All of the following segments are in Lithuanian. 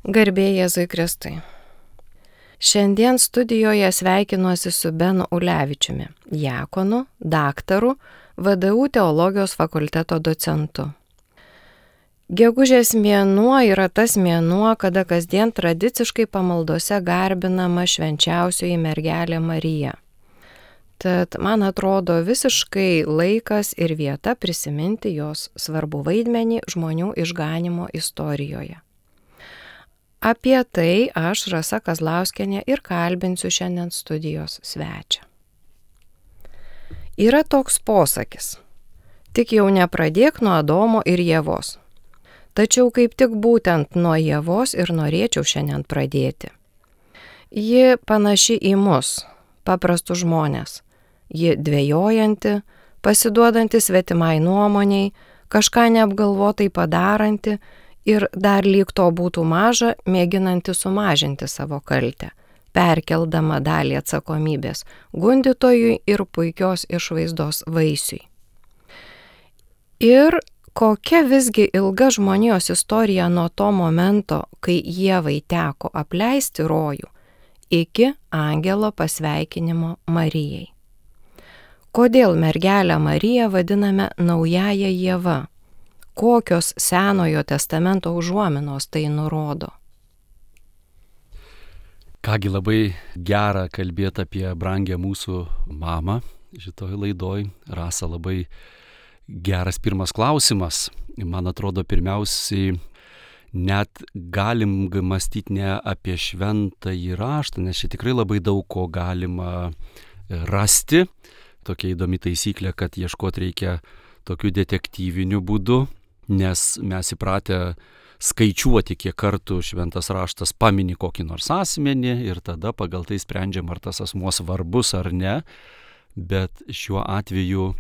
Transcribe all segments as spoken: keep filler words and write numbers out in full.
Garbė Jėzui Kristui. Šiandien studijoje sveikinuosi su Benu Ulevičiumi, diakonu, daktaru, V D U teologijos fakulteto docentu. Gegužės mėnuo yra tas mėnuo, kada kasdien tradiciškai pamaldose garbinama švenčiausioji mergelė Marija. Tad man atrodo visiškai laikas ir vieta prisiminti jos svarbų vaidmenį žmonių išganymo istorijoje. Apie tai aš, Rasa Kazlauskienė, ir kalbinsiu šiandien studijos svečią. Yra toks posakis: tik jau nepradėk nuo Adomo ir Ievos. Tačiau kaip tik būtent nuo Ievos ir norėčiau šiandien pradėti. Ji panaši į mus, paprastus žmonės. Ji dvejojanti, pasiduodanti svetimai nuomoniai, kažką neapgalvotai padaranti ir dar lyg to būtų maža, mėginanti sumažinti savo kaltę, perkeldama dalį atsakomybės gundytojui ir puikios išvaizdos vaisiui. Ir kokia visgi ilga žmonijos istorija nuo to momento, kai Ievai teko apleisti rojų, iki angelo pasveikinimo Marijai. Kodėl mergelę Mariją vadiname naująja Ieva? Kokios Senojo testamento užuominos tai nurodo? Kągi, labai gera kalbėti apie brangę mūsų mamą šitoj laidoj. Rasa, labai geras pirmas klausimas. Man atrodo, pirmiausiai net galim mąstyti ne apie šventąjį raštą, nes čia tikrai labai daug ko galima rasti. Tokia įdomi taisyklė, kad ieškoti reikia tokiu detektyviniu būdu, nes mes įpratę skaičiuoti, kiek kartų šventas raštas pamini kokį nors asmenį ir tada pagal tai sprendžiam, ar tas asmuo svarbus ar ne. Bet šiuo atveju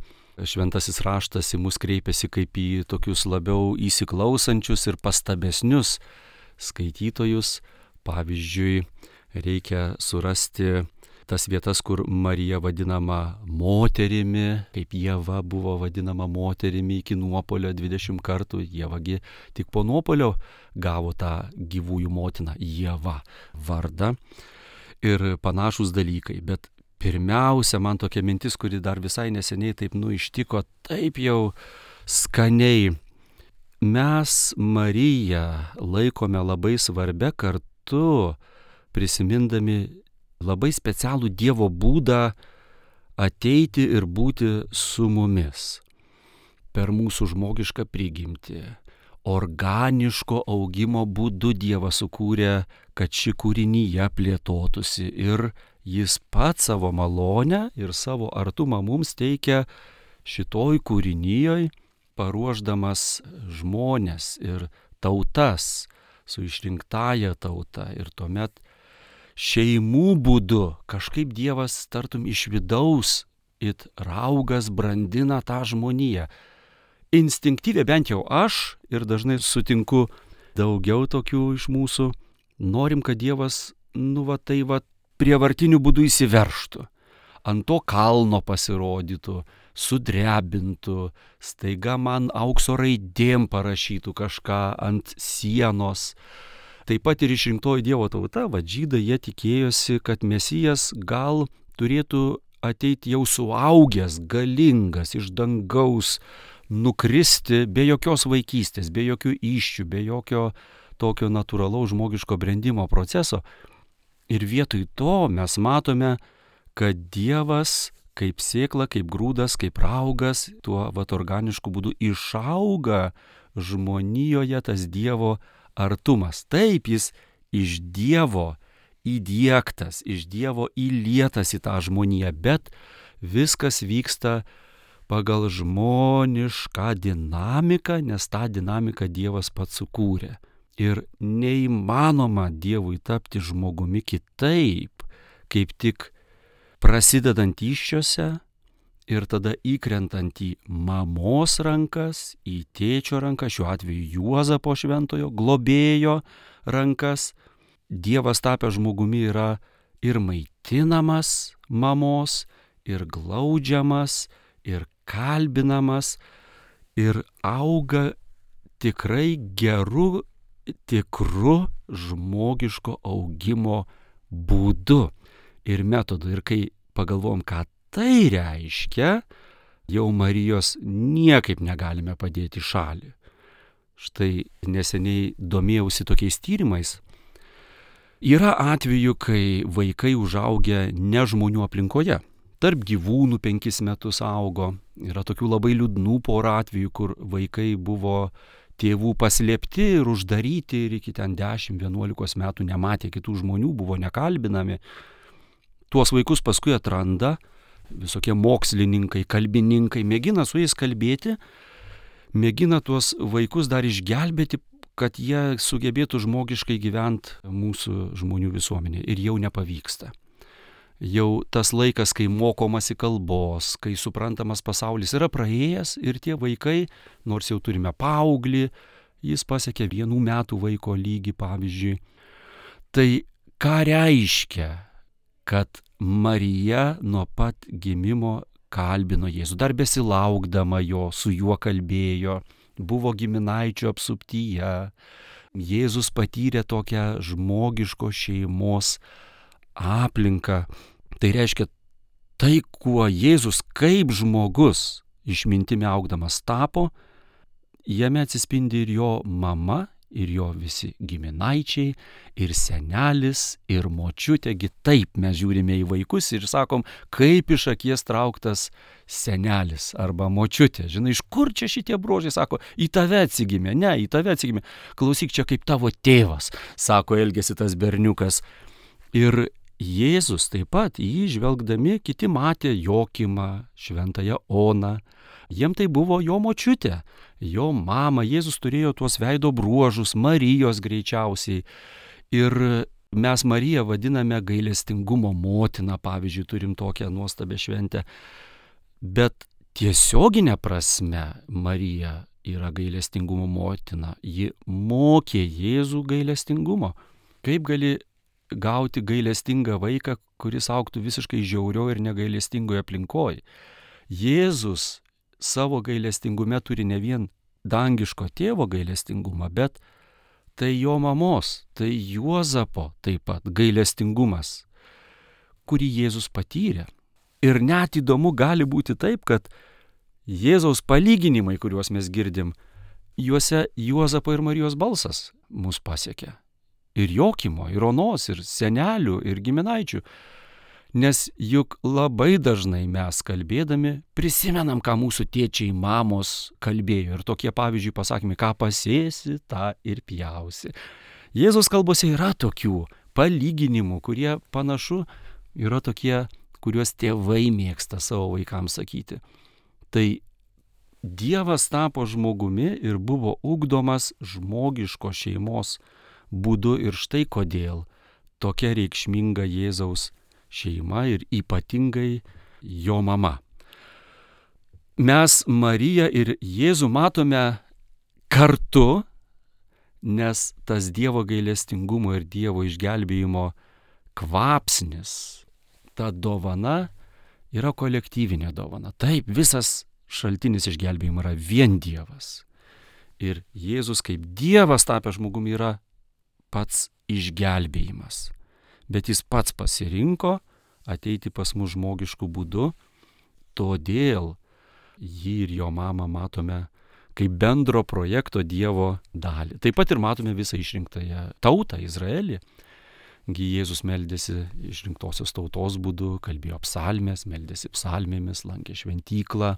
šventasis raštas į mus kreipiasi kaip į tokius labiau įsiklausančius ir pastabesnius skaitytojus. Pavyzdžiui, reikia surasti tas vietas, kur Marija vadinama moterimi, kaip Ieva buvo vadinama moterimi iki nuopuolio dvidešimt kartų. Ievagi tik po nuopuolio gavo tą gyvųjų motiną Ieva vardą ir panašus dalykai. Bet pirmiausia, man tokia mintis, kuri dar visai neseniai taip nu ištiko, taip jau skaniai. Mes Mariją laikome labai svarbia, kartu prisimindami labai specialų Dievo būdą ateiti ir būti su mumis. Per mūsų žmogišką prigimtį, organiško augimo būdu Dievas sukūrė, kad ši kūrinyje plėtotųsi ir jis pats savo malonę ir savo artumą mums teikia šitoj kūrinyjoj, paruošdamas žmones ir tautas su išrinktąja tauta. Ir tuomet šeimų būdu kažkaip Dievas tartum iš vidaus it raugas brandina tą žmoniją. Instinktyviai, bent jau aš, ir dažnai sutinku daugiau tokių iš mūsų, norim, kad Dievas, nu va tai va, prievartiniu būdu įsiveržtų, ant to kalno pasirodytų, sudrebintų, staiga man aukso raidėm parašytų kažką ant sienos. Taip pat ir išrinktoji Dievo tauta, va žydai, jie tikėjosi, kad Mesijas gal turėtų ateiti jau suaugęs, galingas, iš dangaus, nukristi be jokios vaikystės, be jokių įsčių, be jokio tokio natūralaus žmogiško brendimo proceso. Ir vietoj to mes matome, kad Dievas kaip sėkla, kaip grūdas, kaip raugas, tuo vat organišku būdu išauga žmonijoje tas Dievo artumas. Taip, jis iš Dievo įdiegtas, iš Dievo įlietas į tą žmoniją, bet viskas vyksta pagal žmonišką dinamiką, nes tą dinamiką Dievas pats sukūrė. Ir neįmanoma Dievui tapti žmogumi kitaip, kaip tik prasidedant įsčiose ir tada įkrentant į mamos rankas, į tėčio rankas, šiuo atveju Juozapo šventojo globėjo rankas. Dievas tapęs žmogumi yra ir maitinamas mamos, ir glaudžiamas, ir kalbinamas, ir auga tikrai geru tikru žmogiško augimo būdu ir metodu. Ir kai pagalvom, ką tai reiškia, jau Marijos niekaip negalime padėti į šalį. Štai neseniai domėjausi tokiais tyrimais. Yra atvejų, kai vaikai užaugę ne žmonių aplinkoje. Tarp gyvūnų penkis metus augo. Yra tokių labai liūdnų porų atvejų, kur vaikai buvo tėvų paslėpti ir uždaryti ir iki ten dešimt vienuolikos metų nematė kitų žmonių, buvo nekalbinami. Tuos vaikus paskui atranda visokie mokslininkai, kalbininkai, mėgina su jais kalbėti, mėgina tuos vaikus dar išgelbėti, kad jie sugebėtų žmogiškai gyventi mūsų žmonių visuomenėje. Ir jau nepavyksta. Jau tas laikas, kai mokomasi kalbos, kai suprantamas pasaulis yra praėjęs ir tie vaikai, nors jau turime paauglį, jis pasiekė vienų metų vaiko lygį, pavyzdžiui. Tai ką reiškia, kad Marija nuo pat gimimo kalbino Jėzų, dar besilaukdama jo, su juo kalbėjo, buvo giminaičių apsuptyje. Jėzus patyrė tokią žmogiško šeimos aplinką. Tai reiškia, tai, kuo Jėzus kaip žmogus išmintimi augdamas tapo, jame atsispindi ir jo mama, ir jo visi giminaičiai, ir senelis, ir močiutėgi. Taip mes žiūrime į vaikus ir sakom, kaip iš akies trauktas senelis arba močiutė. Žinai, iš kur čia šitie bruožai, sako, į tave atsigimė, ne, į tave atsigimė. Klausyk, čia kaip tavo tėvas, sako, elgėsi tas berniukas. Ir Jėzus taip pat, jį žvelgdami, kiti matė Jokimą, šventąją Oną. Jiem tai buvo jo močiutė, jo mama. Jėzus turėjo tuos veido bruožus, Marijos greičiausiai. Ir mes Mariją vadiname gailestingumo motina, pavyzdžiui, turim tokią nuostabią šventę. Bet tiesioginė prasme Marija yra gailestingumo motina. Ji mokė Jėzų gailestingumo. Kaip gali gauti gailestingą vaiką, kuris augtų visiškai žiaurioje ir negailestingoje aplinkoje? Jėzus savo gailestingume turi ne vien dangiško tėvo gailestingumą, bet tai jo mamos, tai Juozapo taip pat gailestingumas, kurį Jėzus patyrė. Ir net įdomu gali būti taip, kad Jėzaus palyginimai, kuriuos mes girdim, juose Juozapo ir Marijos balsas mus pasiekia. Ir Jokimo, ir Onos, ir senelių, ir giminaičių. Nes juk labai dažnai mes kalbėdami prisimenam, ką mūsų tėčiai, mamos kalbėjo. Ir tokie pavyzdžiui pasakymai, ką pasėsi, tą ir pjausi. Jėzaus kalbose yra tokių palyginimų, kurie panašu yra tokie, kuriuos tėvai mėgsta savo vaikams sakyti. Tai Dievas tapo žmogumi ir buvo ugdomas žmogiško šeimos būdu. Ir štai kodėl tokia reikšminga Jėzaus šeima ir ypatingai jo mama. Mes Mariją ir Jėzų matome kartu, nes tas Dievo gailestingumo ir Dievo išgelbėjimo kvapsnis, ta dovana yra kolektyvinė dovana. Taip, visas šaltinis išgelbėjimo yra vien Dievas. Ir Jėzus kaip Dievas tapęs žmogumi yra pats išgelbėjimas. Bet jis pats pasirinko ateiti pas mus žmogiškų būdų, todėl jį ir jo mamą matome kaip bendro projekto Dievo dalį. Taip pat ir matome visą išrinktąją tautą, Izraelį. Gi Jėzus meldėsi išrinktosios tautos būdu, kalbėjo psalmės, meldėsi psalmėmis, lankė šventyklą.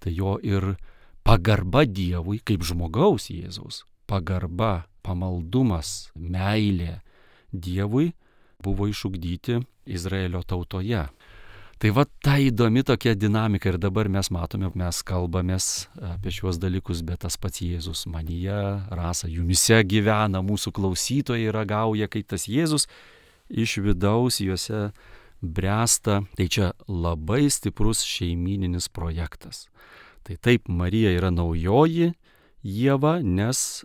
Tai jo ir pagarba Dievui kaip žmogaus Jėzaus, pagarba, pamaldumas, meilė Dievui buvo išugdyti Izraelio tautoje. Tai va ta įdomi tokia dinamika ir dabar mes matome, mes kalbamės apie šiuos dalykus, bet tas pats Jėzus manyje, Rasa, jumise gyvena, mūsų klausytojai ragauja, kai tas Jėzus iš vidaus juose bręsta. Tai čia labai stiprus šeimyninis projektas. Tai taip, Marija yra naujoji Ieva, nes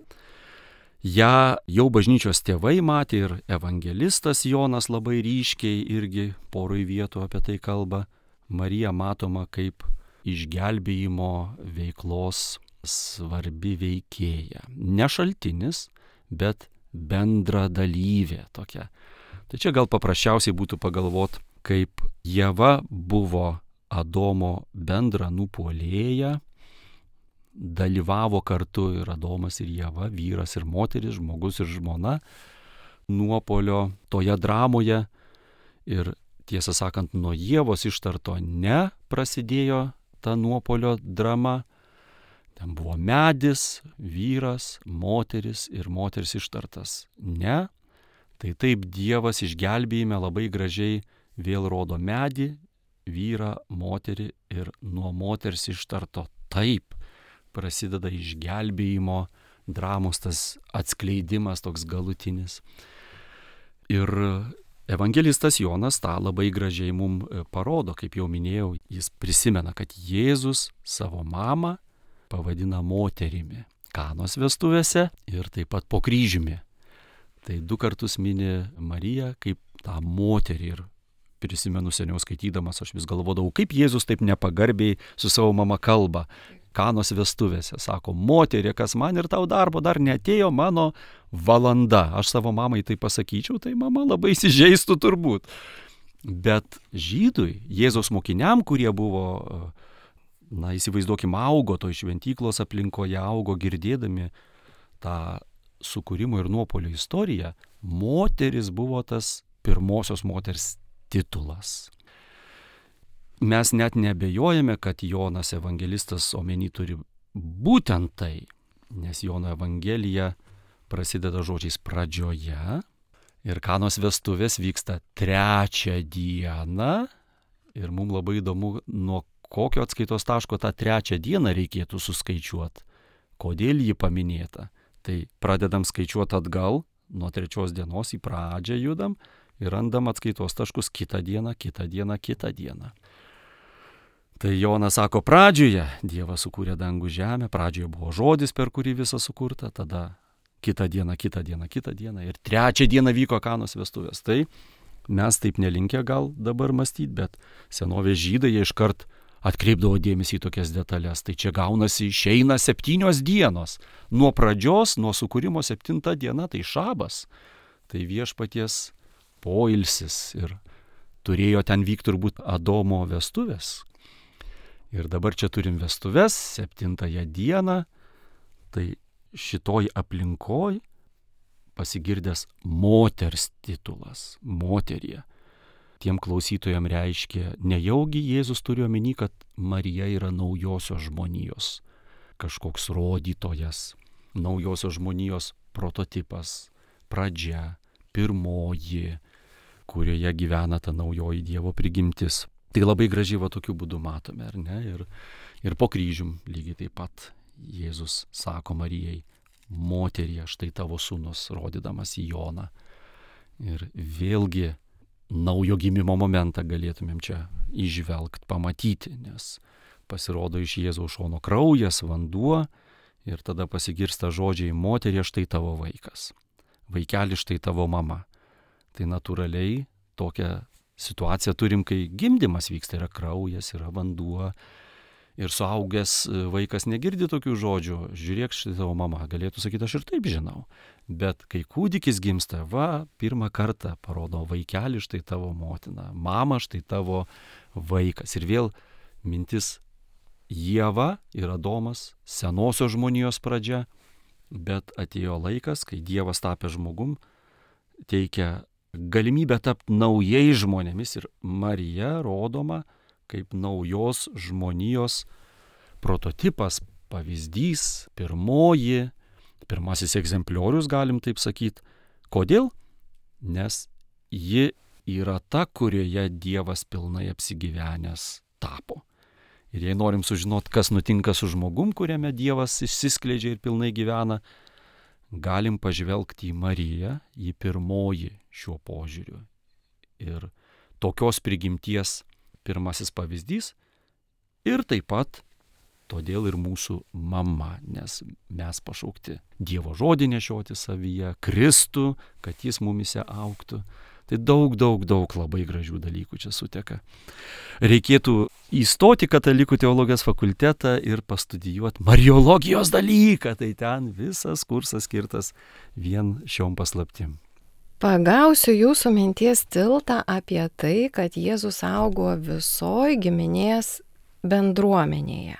ją jau bažnyčios tėvai matė ir evangelistas Jonas labai ryškiai irgi poroj vietų apie tai kalba. Marija matoma kaip išgelbėjimo veiklos svarbi veikėja. Ne šaltinis, bet bendra dalyvė tokia. Tai čia gal paprasčiausiai būtų pagalvot, kaip Ieva buvo Adomo bendra nupuolėja, dalyvavo kartu ir Adomas ir Ieva, vyras ir moteris, žmogus ir žmona, nuopuolio toje dramoje. Ir tiesą sakant, nuo Ievos ištarto ne prasidėjo ta nuopuolio drama. Ten buvo medis, vyras, moteris ir moters ištartas ne. Tai taip Dievas išgelbėjime labai gražiai vėl rodo medį, vyrą, moterį ir nuo moters ištarto taip prasideda išgelbėjimo dramos tas atskleidimas toks galutinis. Ir evangelistas Jonas tą labai gražiai mums parodo, kaip jau minėjau, jis prisimena, kad Jėzus savo mamą pavadina moterimi Kanos vestuvėse ir taip pat po kryžiumi. Tai du kartus mini Mariją kaip tą moterį ir prisimenu seniau skaitydamas, aš vis galvodavau, kaip Jėzus taip nepagarbiai su savo mama kalba. Kanos vestuvėse sako, moterė, kas man ir tau darbo dar neatėjo mano valanda. Aš savo mamai tai pasakyčiau, tai mama labai įsižeistų turbūt. Bet žydui, Jėzaus mokiniam, kurie buvo, na įsivaizduokim, augo toj šventyklos aplinkoje, augo girdėdami tą sukūrimo ir nuopuolio istoriją, moteris buvo tas pirmosios moters titulas. Mes net neabejojame, kad Jonas evangelistas omeny turi būtent tai, nes Jono evangelija prasideda žodžiais pradžioje ir Kanos vestuvės vyksta trečią dieną ir mums labai įdomu, nuo kokio atskaitos taško tą trečią dieną reikėtų suskaičiuoti, kodėl ji paminėta. Tai pradedam skaičiuoti atgal, nuo trečios dienos į pradžią judam ir randam atskaitos taškus kitą dieną, kitą dieną, kitą dieną. Tai Jonas sako, pradžioje Dievas sukūrė dangų žemę, pradžioje buvo žodis, per kurį visa sukurta, tada kitą dieną, kitą dieną, kitą dieną ir trečią dieną vyko Kanos vestuvės. Tai mes taip nelinkę gal dabar mąstyti, bet senovės žydai jie iškart atkreipdavo dėmesį į tokias detalės. Tai čia gaunasi išeina septynios dienos. Nuo pradžios, nuo sukūrimo septinta diena, tai šabas. Tai viešpaties poilsis ir turėjo ten vykti turbūt Adomo vestuvės. Ir dabar čia turim vestuvės, septintąją dieną, tai šitoj aplinkoj pasigirdęs moters titulas, moterie. Tiem klausytojam reiškia, nejaugi Jėzus turi omeny, kad Marija yra naujosios žmonijos, kažkoks rodytojas, naujosios žmonijos prototipas, pradžia, pirmoji, kurioje gyvena ta naujoji Dievo prigimtis. Tai labai gražiai va tokiu būdu matome, ar ne? Ir, ir po kryžium lygiai taip pat Jėzus sako Marijai, moterie, štai tavo sūnus, rodydamas į Joną. Ir vėlgi naujo gimimo momentą galėtumėm čia įžvelgti, pamatyti, nes pasirodo iš Jėzaus šono kraujas, vanduo ir tada pasigirsta žodžiai, moterie, štai tavo vaikas, vaikeli, štai tavo mama. Tai natūraliai tokia situaciją turim, kai gimdymas vyksta, yra kraujas, yra vanduo ir suaugęs vaikas negirdi tokių žodžių, žiūrėk, štai tavo mama, galėtų sakyti, aš ir taip žinau. Bet kai kūdikis gimsta, va, pirmą kartą parodo vaikelį, štai tavo motina, mama, štai tavo vaikas. Ir vėl mintis Ieva ir Adomas, senosios žmonijos pradžia, bet atėjo laikas, kai Dievas tapė žmogum, teikia galimybę tapti naujai žmonėmis ir Marija rodoma kaip naujos žmonijos prototipas, pavyzdys, pirmoji, pirmasis egzempliorius, galim taip sakyti. Kodėl? Nes ji yra ta, kurioje Dievas pilnai apsigyvenęs tapo. Ir jei norim sužinoti, kas nutinka su žmogum, kuriame Dievas išsiskleidžia ir pilnai gyvena, galim pažvelgti į Mariją, į pirmoji šiuo požiūriu. Ir tokios prigimties pirmasis pavyzdys ir taip pat todėl ir mūsų mama, nes mes pašaukti Dievo žodį nešioti savyje, Kristų, kad jis mumise augtų. Tai daug, daug, daug labai gražių dalykų čia suteka. Reikėtų įstoti katalikų teologijos fakultetą ir pastudijuoti mariologijos dalyką. Tai ten visas kursas skirtas vien šiom paslaptim. Pagausiu jūsų minties tiltą apie tai, kad Jėzus augo visoj giminės bendruomenėje.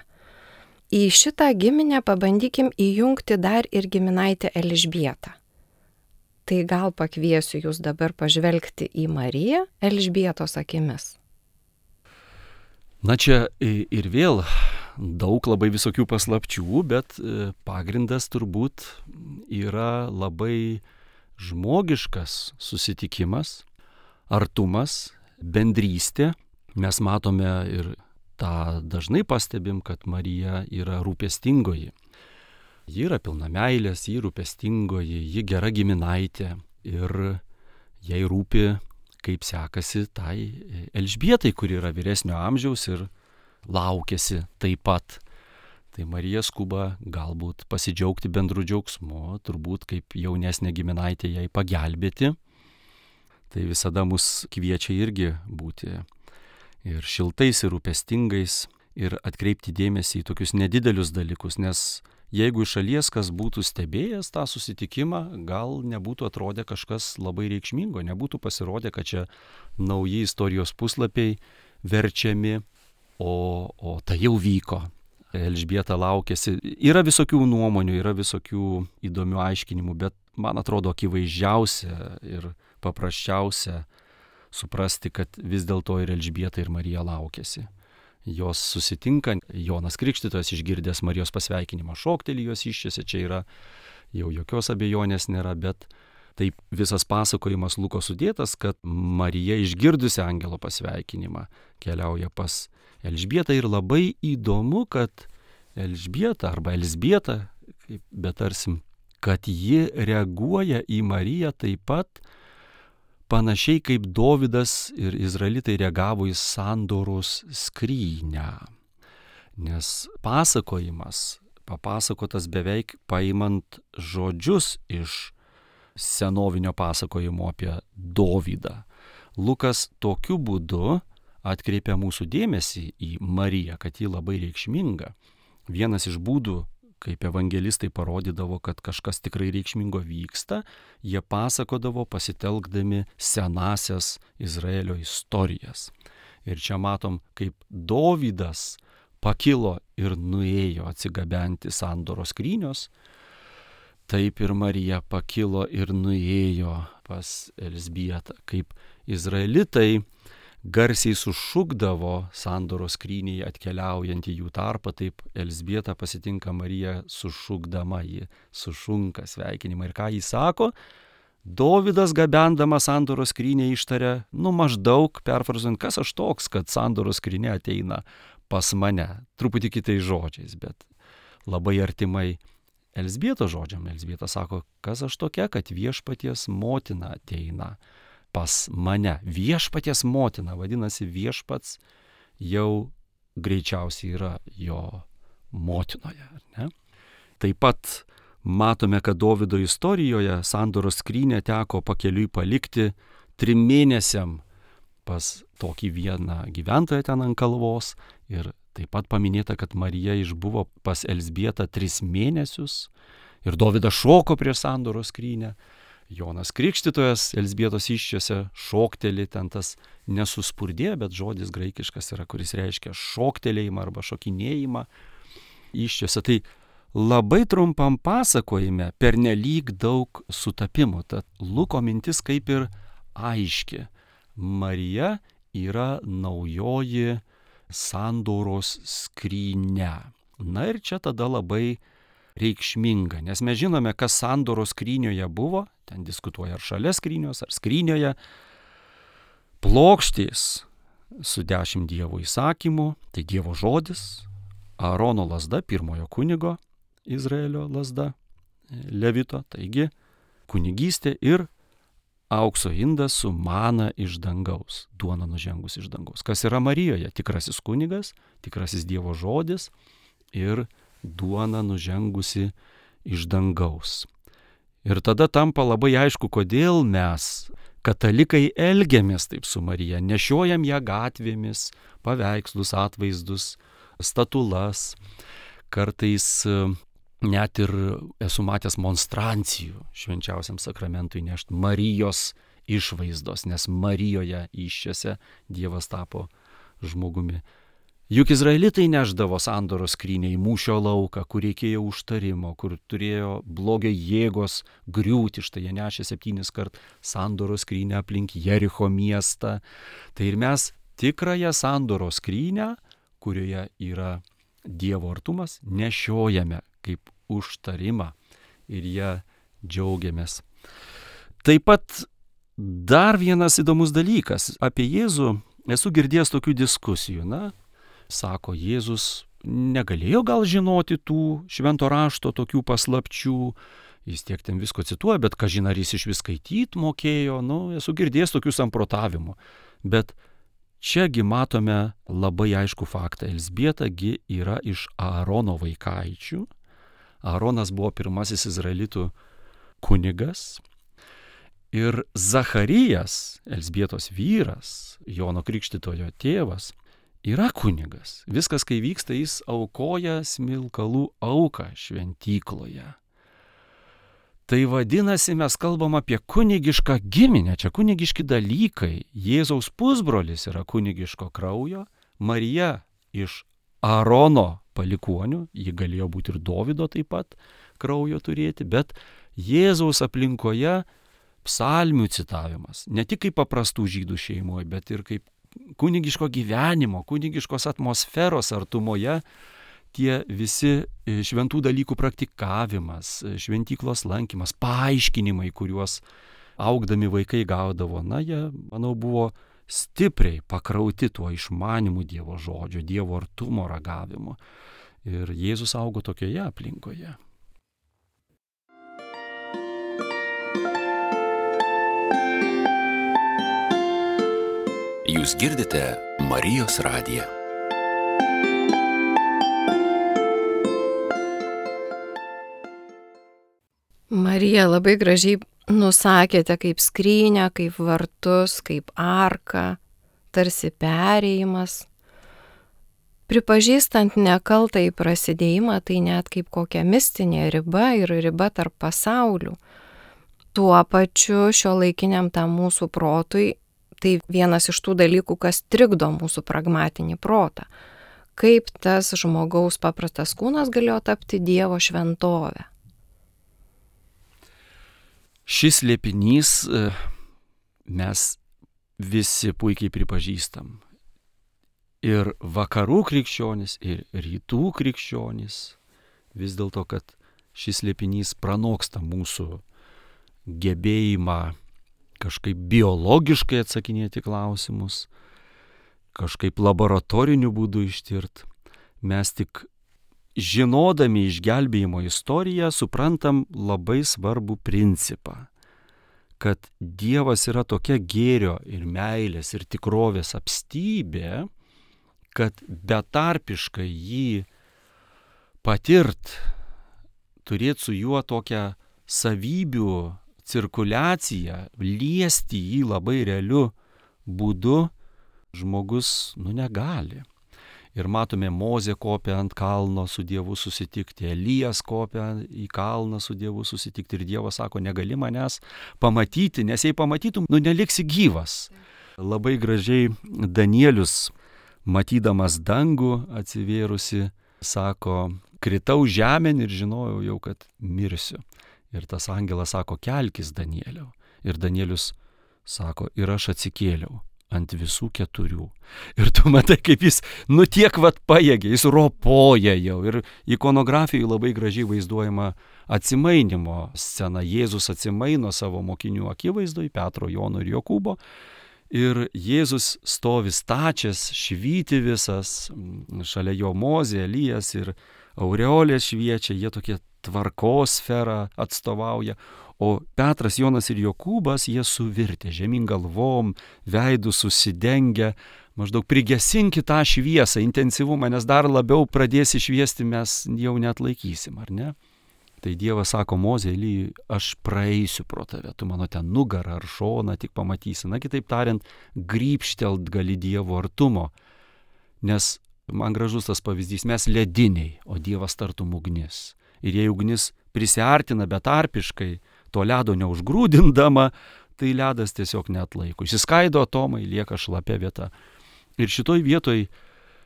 Į šitą giminę pabandykim įjungti dar ir giminaitę Elžbietą. Tai gal pakviesiu jūs dabar pažvelgti į Mariją Elžbietos akimis. Na čia ir vėl daug labai visokių paslapčių, bet pagrindas turbūt yra labai žmogiškas susitikimas, artumas, bendrystė. Mes matome ir tą dažnai pastebim, kad Marija yra rūpestingoji. Ji yra pilna meilės, ji rūpestingoji, ji gera giminaitė ir jai rūpi, kaip sekasi tai Elžbietai, kuri yra vyresnio amžiaus ir laukiasi taip pat. Tai Marija skuba galbūt pasidžiaugti bendru džiaugsmu, turbūt kaip jaunesnė giminaitė jai pagelbėti. Tai visada mus kviečia irgi būti ir šiltais, ir rūpestingais, ir atkreipti dėmesį į tokius nedidelius dalykus, nes jeigu iš šalies kas būtų stebėjęs tą susitikimą, gal nebūtų atrodę kažkas labai reikšmingo, nebūtų pasirodę, kad čia nauji istorijos puslapiai verčiami, o, o tai jau vyko. Elžbieta laukėsi. Yra visokių nuomonių, yra visokių įdomių aiškinimų, bet man atrodo akivaizdžiausia ir paprasčiausia suprasti, kad vis dėlto ir Elžbieta, ir Marija laukėsi. Jos susitinka, Jonas Krikštytojas išgirdęs Marijos pasveikinimą šokteli jos iščiose, čia yra jau jokios abejonės nėra, bet taip visas pasakojimas Luko sudėtas, kad Marija išgirdusi angelo pasveikinimą keliauja pas Elžbietą ir labai įdomu, kad Elžbieta arba Elzbieta, kaip betarsim, kad ji reaguoja į Mariją taip pat panašiai kaip Dovydas ir izraelitai reagavo į sandoros skrynę. Nes pasakojimas, papasakotas beveik paimant žodžius iš senovinio pasakojimo apie Dovydą. Lukas tokiu būdu atkreipia mūsų dėmesį į Mariją, kad ji labai reikšminga. Vienas iš būdų, kaip evangelistai parodydavo, kad kažkas tikrai reikšmingo vyksta, jie pasakodavo pasitelkdami senasias Izraelio istorijas. Ir čia matom, kaip Dovydas pakilo ir nuėjo atsigabenti sandoros skrynios, taip ir Marija pakilo ir nuėjo pas Elzbietą, kaip izraelitai garsiai sušukdavo sandoros skryniai atkeliaujant į jų tarpą, taip Elzbieta pasitinka Mariją sušukdama, ji sušunka sveikinimą. Ir ką jis sako? Dovydas gabendamas sandoros skrynią ištarė, nu maždaug perfrazuojant, kas aš toks, kad sandoros skrynia ateina pas mane. Truputį kitais žodžiais, bet labai artimai Elzbietos žodžiam. Elzbieta sako, kas aš tokia, kad viešpaties motina ateina pas mane. Viešpaties motina, vadinasi, viešpats jau greičiausiai yra jo motinoje, ar ne? Taip pat matome, kad Dovydo istorijoje sandoros skrynią teko pakeliui palikti trim mėnesiam pas tokį vieną gyventoją ten ant kalvos. Ir taip pat paminėta, kad Marija išbuvo pas Elzbietą tris mėnesius ir Dovydas šoko prieš sandoros skrynią. Jonas Krikštytojas Elzbietos įsčiose šokteli, ten tas nesuspurdė, bet žodis graikiškas yra, kuris reiškia šoktelėjimą arba šokinėjimą įsčiose. Tai labai trumpam pasakojime pernelyg daug sutapimų. Tad Luko mintis kaip ir aiški. Marija yra naujoji sandoros skrynia. Na ir čia tada labai reikšminga, nes mes žinome, kas sandoros skrynioje buvo, ten diskutuoja ar šalia skrynios, ar skrynioje, plokštės su dešimt Dievo įsakymų, tai Dievo žodis, Aarono lazda, pirmojo kunigo, Izraelio lazda, Levito, taigi kunigystė ir aukso indas su mana iš dangaus, duona nužengus iš dangaus. Kas yra Marijoje? Tikrasis kunigas, tikrasis Dievo žodis ir duona nužengusi iš dangaus. Ir tada tampa labai aišku, kodėl mes, katalikai elgiamės taip su Marija, nešiojam ją gatvėmis, paveikslus, atvaizdus, statulas, kartais net ir esu matęs monstrancijų švenčiausiam sakramentui nešti Marijos išvaizdos, nes Marijoje įsčiose Dievas tapo žmogumi. Juk izraelitai neždavo sandoros skrynią į mūšio lauką, kur reikėjo užtarimo, kur turėjo blogio jėgos griūti, štai jie nešė septynis kart sandoros skrynią aplink Jericho miestą. Tai ir mes tikrąją sandoros skrynią, kurioje yra Dievo artumas, nešiojame kaip užtarimą ir ją džiaugiamės. Taip pat dar vienas įdomus dalykas. Apie Jėzų esu girdėjęs tokių diskusijų. Na, sako, Jėzus negalėjo gal žinoti tų švento rašto tokių paslapčių, jis tiek ten visko cituoja, bet kažin ar jis iš vis skaityti mokėjo, nu, esu girdėjęs tokių samprotavimų. Bet čiagi matome labai aišku faktą. Elzbieta gi yra iš Aarono vaikaičių. Aaronas buvo pirmasis izraelitų kunigas. Ir Zacharijas, Elzbietos vyras, Jono Krikštytojo tėvas, yra kunigas. Viskas, kai vyksta, jis aukoja smilkalų auką šventykloje. Tai vadinasi, mes kalbam apie kunigišką giminę, čia kunigiški dalykai. Jėzaus pusbrolis yra kunigiško kraujo, Marija iš Aarono palikuonių, ji galėjo būti ir Dovydo taip pat kraujo turėti, bet Jėzaus aplinkoje psalmių citavimas, ne tik kaip paprastų žydų šeimoje, bet ir kaip kunigiško gyvenimo, kunigiškos atmosferos artumoje, tie visi šventų dalykų praktikavimas, šventyklos lankymas, paaiškinimai, kuriuos augdami vaikai gaudavo, na, jie, manau, buvo stipriai pakrauti tuo išmanimu Dievo žodžio, Dievo artumo ragavimu. Ir Jėzus augo tokioje aplinkoje. Jūs girdite Marijos radiją. Marija, labai gražiai nusakėte kaip skrynę, kaip vartus, kaip arką, tarsi perėjimas. Pripažįstant nekaltąjį prasidėjimą, tai net kaip kokia mistinė riba ir riba tarp pasaulių. Tuo pačiu šiuolaikiniam tam mūsų protui, tai vienas iš tų dalykų, kas trikdo mūsų pragmatinį protą. Kaip tas žmogaus paprastas kūnas galėjo tapti Dievo šventovę? Šis slėpinys mes visi puikiai pripažįstam. Ir vakarų krikščionys, ir rytų krikščionys, vis dėlto, kad šis slėpinys pranoksta mūsų gebėjimą kažkaip biologiškai atsakinėti klausimus, kažkaip laboratoriniu būdu ištirt. Mes tik žinodami išgelbėjimo istoriją suprantam labai svarbų principą, kad Dievas yra tokia gėrio ir meilės ir tikrovės apstybė, kad betarpiškai jį patirt, turėti su juo tokią savybių cirkuliaciją, liesti jį labai realiu būdu, žmogus, nu, negali. Ir matome, Mozė kopia ant kalno su Dievu susitikti, Elijas kopia į kalną su Dievu susitikti ir Dievas sako, negali manęs pamatyti, nes jei pamatytum, nu, neliksi gyvas. Labai gražiai Danielius, matydamas dangų atsivėrusi, sako, kritau žemėn ir žinojau jau, kad mirsiu. Ir tas angelas sako, kelkis Danieliau. Ir Danielius sako, ir aš atsikėliau ant visų keturių. Ir tu matai, kaip jis, nu tiek vat pajėgia, jis ropoja jau. Ir ikonografijoje labai gražiai vaizduojama atsimainimo scena. Jėzus atsimaino savo mokinių akivaizdoj, Petro, Jono ir Jokūbo. Ir Jėzus stovi stačias, švyti visas, šalia jo Mozė, Elijas ir aureolės šviečia, jie tokie tvarkos sferą atstovauja. O Petras, Jonas ir Jokūbas, jie suvirtė žemyn galvom, veidų susidengę, maždaug prigesinkit tą šviesą, intensyvumą, nes dar labiau pradėsi šviesti, mes jau net laikysim, ar ne? Tai Dievas sako Mozei, Elijui, aš praeisiu pro tave, tu mano ten nugarą ar šoną tik pamatysi. Na, kitaip tariant, grybštelt gali Dievo artumo. Nes man gražus tas pavyzdys, mes lediniai, o Dievas tartum ugnis. Ir jei ugnis prisiartina betarpiškai, to ledo neužgrūdindama, tai ledas tiesiog neatlaiko. Išsiskaido atomai, lieka šlapia vieta. Ir šitoj vietoj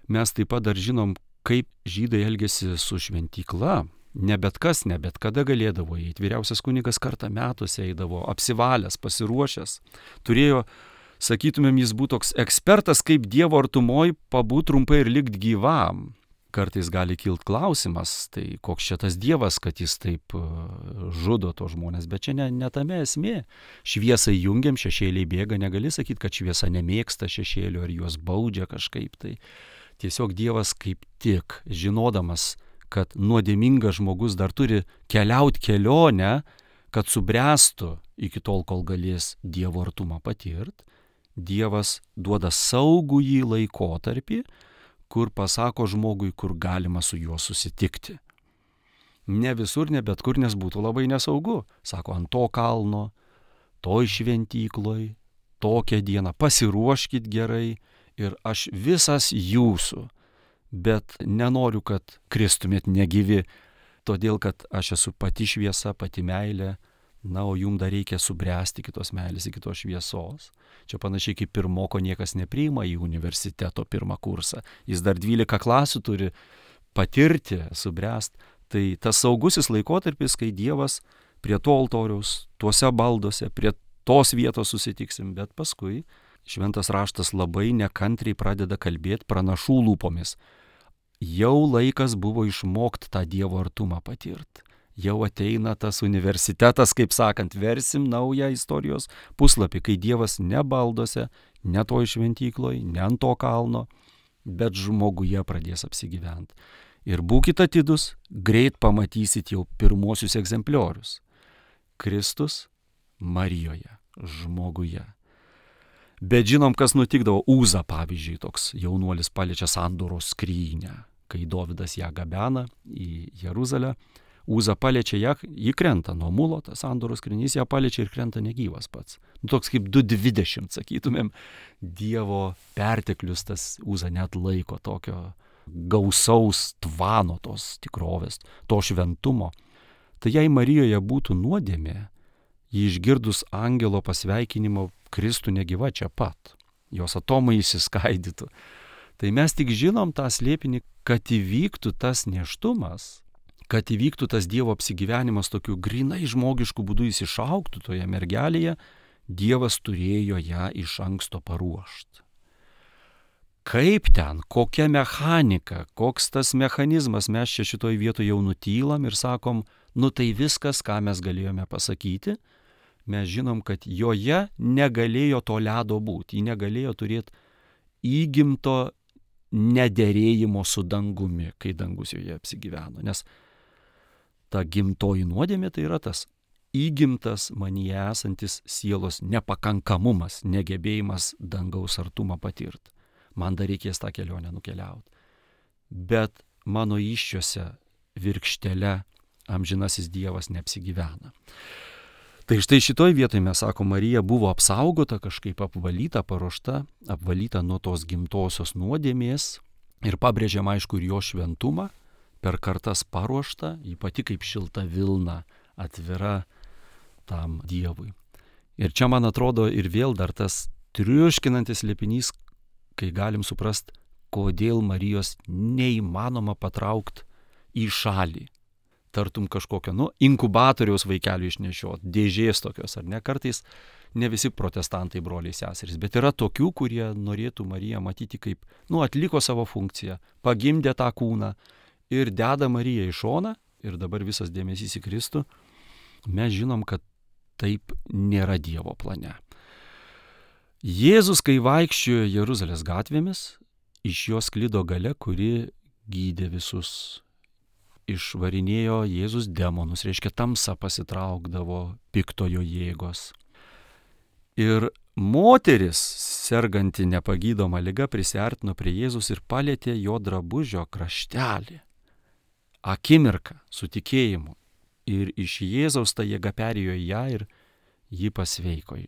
mes taip pat dar žinom, kaip žydai elgėsi su šventykla. Ne bet kas, ne bet kada galėdavo įeiti. Vyriausias kunigas kartą metuose eidavo, apsivalęs, pasiruošęs. Turėjo, sakytumėm, jis būtų toks ekspertas, kaip Dievo artumoj pabūt trumpai ir likt gyvam. Kartais gali kilt klausimas, tai koks čia tas Dievas, kad jis taip žudo to žmonės. Bet čia ne, ne tame esmė. Šviesą jungiam, šešėliai bėga, negali sakyti, kad šviesa nemėgsta šešėlių ar juos baudžia kažkaip. Tai tiesiog Dievas kaip tik, žinodamas, kad nuodėmingas žmogus dar turi keliauti kelionę, kad subręstų iki tol, kol galės Dievo artumą patirt, Dievas duoda saugų jį laikotarpį, kur pasako žmogui, kur galima su juo susitikti. Ne visur, ne bet kur, nes būtų labai nesaugu. Sako, ant to kalno, toj šventykloj, tokią dieną, pasiruoškit gerai ir aš visas jūsų. Bet nenoriu, kad kristumėt negyvi, todėl, kad aš esu pati šviesa, pati meilė, na, o jums dar reikia subręsti kitos meilės, kitos šviesos. Čia panašiai kaip pirmoko niekas nepriima į universiteto pirmą kursą. Jis dar dvylika klasių turi patirti, subręsti. Tai tas saugusis laikotarpis, kai Dievas prie to altoriaus, tuose balduose, prie tos vietos susitiksim, bet paskui šventas raštas labai nekantriai pradeda kalbėti pranašų lūpomis. Jau laikas buvo išmokti tą Dievo artumą patirti. Jau ateina tas universitetas, kaip sakant, versim naują istorijos puslapį, kai Dievas ne baldose, ne toj šventykloj, ne ant to kalno, bet žmoguje pradės apsigyventi. Ir būkite atidus, greit pamatysit jau pirmosius egzempliorius. Kristus Marijoje, žmoguje. Bet žinom, kas nutikdavo. Uza, pavyzdžiui, toks jaunuolis paliečia sandoros skrynią, kai Dovydas ją gabena į Jeruzalę. Uza paliečia ją, ji krenta nuo mulo, tas sandoros skrynys ją paliečia ir krenta negyvas pats. Nu, toks kaip du dvidešimt, sakytumėm, Dievo perteklius, tas Uza net laiko tokio gausaus tvano tos tikrovės, to šventumo. Tai jei Marijoje būtų nuodėmė, ji išgirdus angelo pasveikinimo Kristų negyva čia pat, jos atomai išsiskaidytų. Tai mes tik žinom tą slėpinį, kad įvyktų tas nėštumas, kad įvyktų tas Dievo apsigyvenimas tokiu grinai žmogišku būdu jis išaugtų toje mergelėje, Dievas turėjo ją iš anksto paruošti. Kaip ten, kokia mechanika, koks tas mechanizmas, mes čia šitoj vietoje jau nutylam ir sakom, nu tai viskas, ką mes galėjome pasakyti. Mes žinom, kad joje negalėjo to ledo būti, ji negalėjo turėti įgimto nederėjimo su dangumi, kai dangus joje apsigyveno. Nes ta gimtoji nuodėmė tai yra tas įgimtas manyje esantis sielos nepakankamumas, negebėjimas dangaus artumą patirti. Man dar reikės tą kelionę nukeliauti. Bet mano įsčiose virkštele amžinasis Dievas neapsigyvena. Tai štai šitoj vietoje mes sakom, Marija buvo apsaugota, kažkaip apvalyta, paruošta, apvalyta nuo tos gimtosios nuodėmės ir pabrėžiam aišku ir jo šventumą, per kartas paruošta, ji pati kaip šilta vilna atvira tam Dievui. Ir čia man atrodo ir vėl dar tas triuškinantis slėpinys, kai galim suprast, kodėl Marijos neįmanoma patraukti į šalį. Tartum kažkokio, nu, inkubatoriaus vaikelių išnešiot, dėžės tokios, ar ne, kartais ne visi protestantai broliai seserys, bet yra tokių, kurie norėtų Mariją matyti kaip, nu, atliko savo funkciją, pagimdė tą kūną ir deda Mariją į šoną ir dabar visas dėmesys į Kristų. Mes žinom, kad taip nėra Dievo plane. Jėzus, kai vaikščiojo Jeruzalės gatvėmis, iš jo sklido galia, kuri gydė visus. Išvarinėjo Jėzus demonus, reiškia tamsa pasitraukdavo piktojo jėgos. Ir moteris, serganti nepagydoma liga, prisiartino prie Jėzus ir palietė jo drabužio kraštelį. Akimirką su tikėjimu ir iš Jėzaus ta jėga perėjo į ją ir ji pasveiko,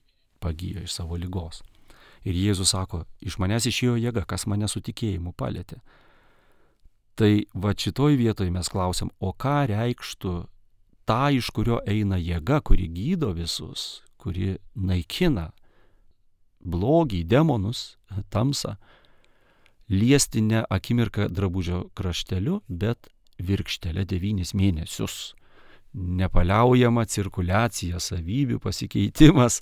pagijo iš savo ligos. Ir Jėzus sako, iš manęs išėjo jėga, kas mane su tikėjimu palėtė. Tai va šitoj vietoje mes klausim, o ką reikštų ta, iš kurio eina jėga, kuri gydo visus, kuri naikina blogį, demonus, tamsą, liesti ne akimirką drabužio krašteliu, bet virkštelę devynis mėnesius. Nepaliaujama cirkuliacija, savybių pasikeitimas.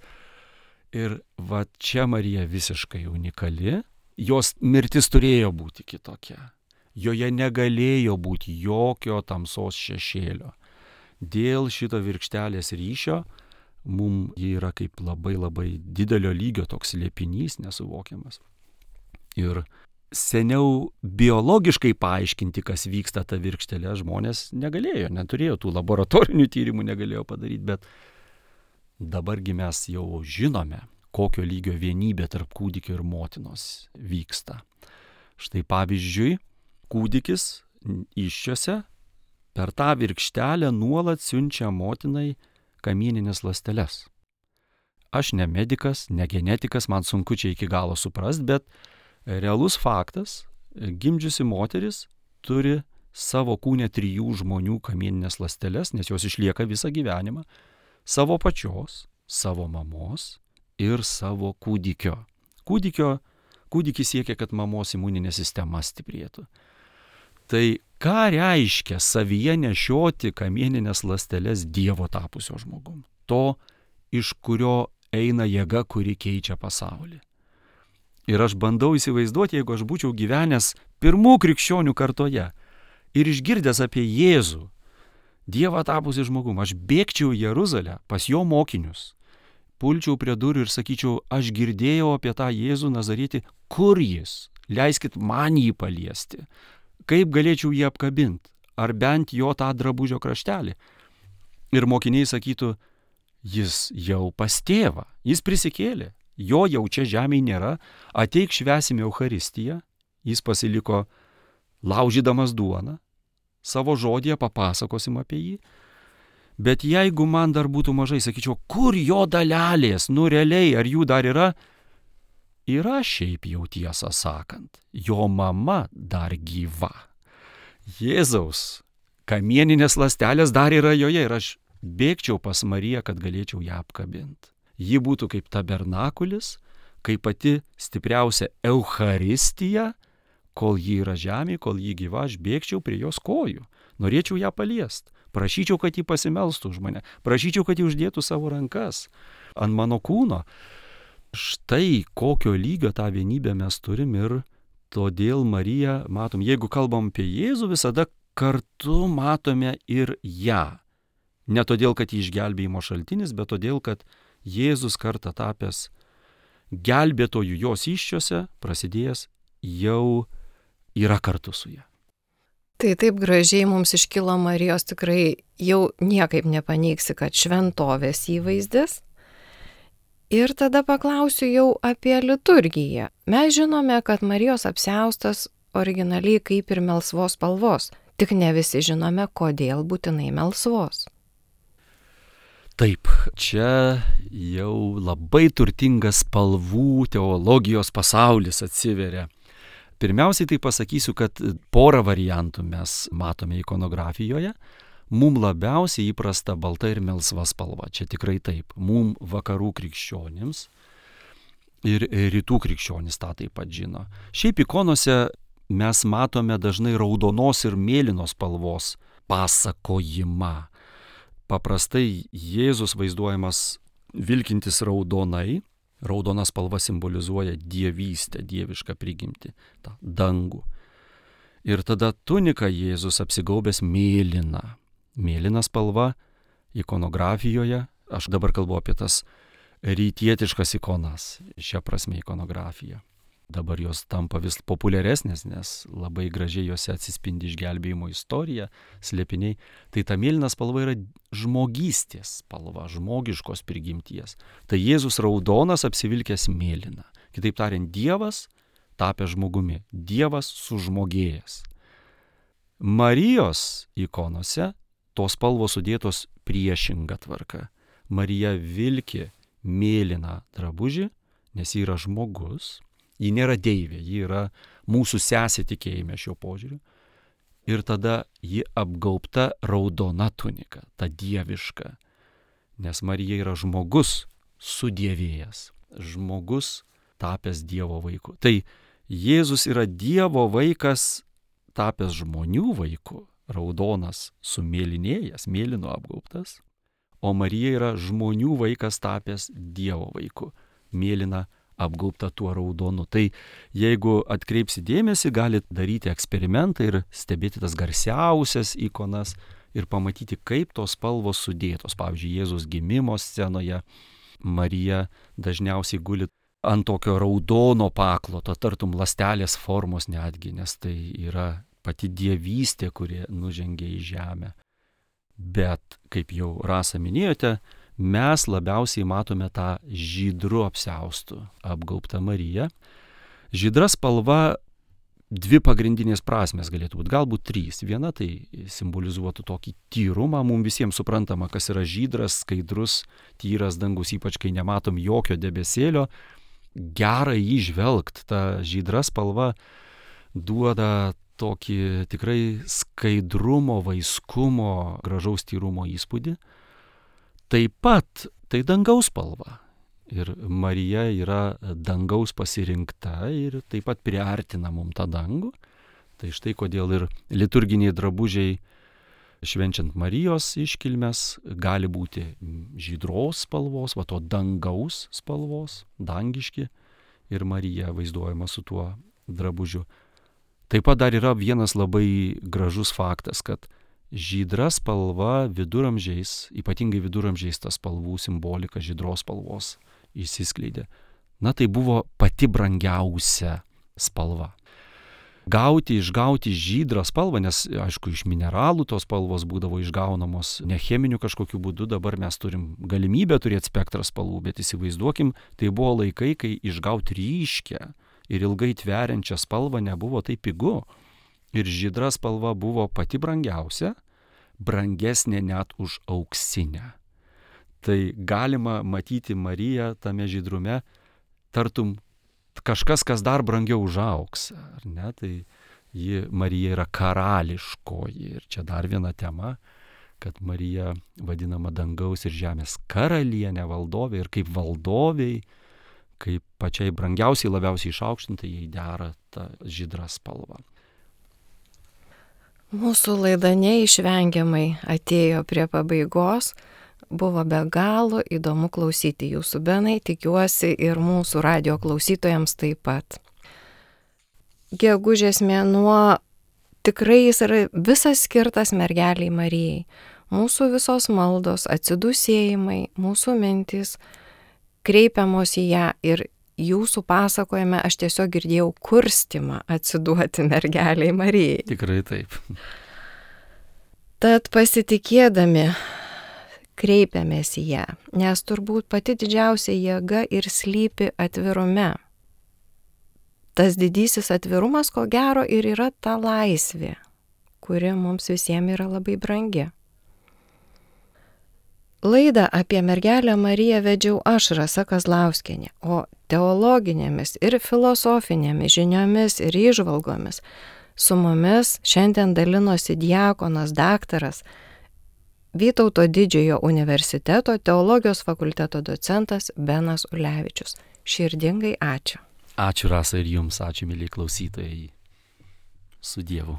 Ir va čia Marija visiškai unikali. Jos mirtis turėjo būti kitokia. Joje negalėjo būti jokio tamsos šešėlio. Dėl šito virkštelės ryšio mums ji yra kaip labai labai didelio lygio toks slėpinys nesuvokiamas. Ir seniau biologiškai paaiškinti, kas vyksta ta virkštelė, žmonės negalėjo, neturėjo tų laboratorinių tyrimų, negalėjo padaryti, bet dabargi mes jau žinome, kokio lygio vienybė tarp kūdikio ir motinos vyksta. Štai pavyzdžiui, kūdikis įsčiose per tą virkštelę nuolat siunčia motinai kamieninės ląsteles. Aš ne medikas, ne genetikas, man sunku čia iki galo suprast, bet realus faktas, gimdžiusi moteris turi savo kūne trijų žmonių kamieninės ląsteles, nes jos išlieka visą gyvenimą, savo pačios, savo mamos ir savo kūdikio. Kūdikio, kūdikis siekia, kad mamos imuninė sistema stiprėtų. Tai ką reiškia savyje nešioti kamieninės ląsteles Dievo tapusio žmogum? To, iš kurio eina jėga, kuri keičia pasaulį. Ir aš bandau įsivaizduoti, jeigu aš būčiau gyvenęs pirmų krikščionių kartoje ir išgirdęs apie Jėzų, Dievą tapusį žmogum, aš bėgčiau į Jeruzalę pas jo mokinius, pulčiau prie durų ir sakyčiau, aš girdėjau apie tą Jėzų Nazarietį, kur jis? Leiskit man jį paliesti. Kaip galėčiau jį apkabinti? Ar bent jo tą drabužio kraštelį? Ir mokiniai sakytų, jis jau pas tėvą, jis prisikėlė. Jo jau čia žemėje nėra, ateik švęsime Eucharistiją, jis pasiliko laužydamas duoną, savo žodėje papasakosim apie jį, bet jeigu man dar būtų mažai, sakyčiau, kur jo dalelės, nu realiai, ar jų dar yra? Yra šiaip jau tiesą sakant, jo mama dar gyva. Jėzaus kamieninės ląstelės dar yra joje ir aš bėgčiau pas Mariją, kad galėčiau ją apkabinti. Ji būtų kaip tabernakulis, kaip pati stipriausia Eucharistija, kol ji yra žemė, kol ji gyva, aš bėgčiau prie jos kojų. Norėčiau ją paliest. Prašyčiau, kad ji pasimelstų už mane. Prašyčiau, kad ji uždėtų savo rankas ant mano kūno. Štai kokio lygio tą vienybę mes turim ir todėl Mariją matom. Jeigu kalbam apie Jėzų, visada kartu matome ir ją. Ne todėl, kad ji išgelbėjimo šaltinis, bet todėl, kad Jėzus kartą tapęs gelbėtojų jos įsčiose, prasidėjęs, jau yra kartu su ja. Tai taip gražiai mums iškilo Marijos, tikrai jau niekaip nepaneigsi, kad šventovės įvaizdis. Ir tada paklausiu jau apie liturgiją. Mes žinome, kad Marijos apsiaustas originaliai kaip ir melsvos spalvos, tik ne visi žinome, kodėl būtinai melsvos. Taip, čia jau labai turtingas spalvų teologijos pasaulis atsiveria. Pirmiausiai tai pasakysiu, kad porą variantų mes matome ikonografijoje. Mums labiausiai įprasta balta ir melsva spalva. Čia tikrai taip. Mums vakarų krikščionims ir rytų krikščionys tą taip pat žino. Šiaip ikonose mes matome dažnai raudonos ir mėlynos spalvos pasakojimą. Paprastai Jėzus vaizduojamas vilkintis raudonai. Raudona spalva simbolizuoja dievystę, dievišką prigimtį, tą dangų. Ir tada tunika Jėzus apsigaubęs mėlyna. Mėlyna spalva ikonografijoje, aš dabar kalbu apie tas rytietiškas ikonas, šią prasme ikonografija. Dabar jos tampa vis populiaresnės, nes labai gražiai jose atsispindi išgelbėjimo istorija, slėpiniai. Tai ta mėlyna spalva yra žmogystės spalva, žmogiškos prigimties. Tai Jėzus raudonas apsivilkęs mėlyna. Kitaip tariant, Dievas tapęs žmogumi, Dievas sužmogėjęs. Marijos ikonose tos spalvos sudėtos priešinga tvarka. Marija vilki mėlyną drabužį, nes ji yra žmogus, ji nėra deivė, ji yra mūsų sesė tikėjime šiuo požiūriu. Ir tada ji apgaubta raudona tunika, ta dieviška, nes Marija yra žmogus sudievėjęs, žmogus tapęs Dievo vaiku. Tai Jėzus yra Dievo vaikas tapęs žmonių vaiku, raudonas sumėlynėjęs, mėlyno apgaubtas, o Marija yra žmonių vaikas tapęs Dievo vaiku, mėlyna apgaubta tuo raudonu. Tai jeigu atkreipsi dėmesį, galit daryti eksperimentą ir stebėti tas garsiausias ikonas ir pamatyti, kaip tos spalvos sudėtos. Pavyzdžiui, Jėzus gimimo scenoje Marija dažniausiai guli ant tokio raudono pakloto, tartum ląstelės formos netgi, nes tai yra pati dievystė, kuri nužengia į žemę. Bet, kaip jau Rasa minėjote, mes labiausiai matome tą žydru apsiaustų apgaubtą Mariją. Žydra spalva dvi pagrindinės prasmės galėtų būti, galbūt trys. Viena tai simbolizuotų tokį tyrumą, mums visiems suprantama, kas yra žydras, skaidrus, tyras dangus, ypač kai nematom jokio debesėlio. Gera jį žvelgt, ta žydra spalva duoda tokį tikrai skaidrumo, vaiskumo, gražaus tyrumo įspūdį. Taip pat tai dangaus spalva. Ir Marija yra dangaus pasirinkta ir taip pat priartina mum tą dangų. Tai štai kodėl ir liturginiai drabužiai švenčiant Marijos iškilmes gali būti žydros spalvos, va to dangaus spalvos, dangiški, ir Marija vaizduojama su tuo drabužiu. Taip pat dar yra vienas labai gražus faktas, kad žydra spalva viduramžiais, ypatingai viduramžiais ta spalvų simbolika žydros spalvos išsiskleidė. Na tai buvo pati brangiausia spalva. Gauti, išgauti žydrą spalvą, nes aišku iš mineralų tos spalvos būdavo išgaunamos ne cheminiu kažkokiu būdu, dabar mes turim galimybę turėti spektrą spalvų, bet įsivaizduokim, tai buvo laikai, kai išgauti ryškę ir ilgai tveriančią spalvą nebuvo taip pigu. Ir žydra spalva buvo pati brangiausia, brangesnė net už auksinę. Tai galima matyti Mariją tame žydrume, tartum kažkas, kas dar brangiau už auksą, ar ne? Tai ji, Marija yra karališkoji. Ir čia dar viena tema, kad Marija vadinama dangaus ir žemės karalienė, valdovė, ir kaip valdoviai, kaip pačiai brangiausiai, labiausiai išaukštintai, jai dera ta žydra spalva. Mūsų laida neišvengiamai atėjo prie pabaigos. Buvo be galo įdomu klausyti jūsų, Benai, tikiuosi ir mūsų radijo klausytojams taip pat. Gegužės mėnuo tikrai jis yra visas skirtas mergeliai Marijai. Mūsų visos maldos, atsidūsėjimai, mūsų mintys kreipiamos į ją, ir jūsų pasakojime aš tiesiog girdėjau kurstymą atsiduoti mergeliai Marijai. Tikrai taip. Tad pasitikėdami kreipiamės į ją, nes turbūt pati didžiausia jėga ir slypi atvirume. Tas didysis atvirumas, ko gero, ir yra ta laisvė, kuri mums visiems yra labai brangi. Laidą apie mergelę Mariją vedžiau aš, Rasa Kazlauskienė, o teologinėmis ir filosofinėmis žiniomis ir įžvalgomis su mumis šiandien dalinosi diakonas daktaras Vytauto Didžiojo universiteto teologijos fakulteto docentas Benas Ulevičius. Širdingai ačiū. Ačiū, Rasa, ir jums, ačiū, myliai klausytojai. Su Dievu.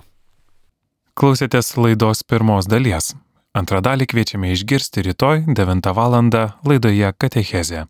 Klausėtės laidos pirmos dalies. Antrą dalį kviečiame išgirsti rytoj devintą valandą laidoje Katechezė.